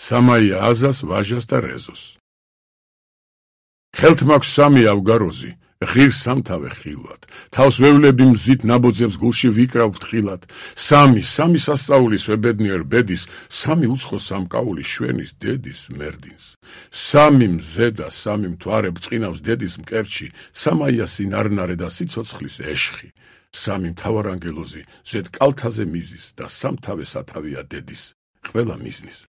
სამაია აზას, ვაჟას და რეზოს. ხელთ მაქვს სამი ავგაროზი, ღირს სამთავე ხილვად, თავს ვევლები მზით ნაბოძებს გულში ვიკრავ ფრთხილად, სამი სასწაულის ვებედნიერ ბედის, სამი უცხო სამკაულის შვენის დედის მერდინს, სამი მზე და სამი მთვარე ბრწყინავს დედის მკერჩი, სამაია სინარნარე და სიცოცხლის ეშხი, სამი მთავარანგელოზი ზედ კალთაზე მიზის და სამთავე სათავეა დედის, ყველა მიზნის.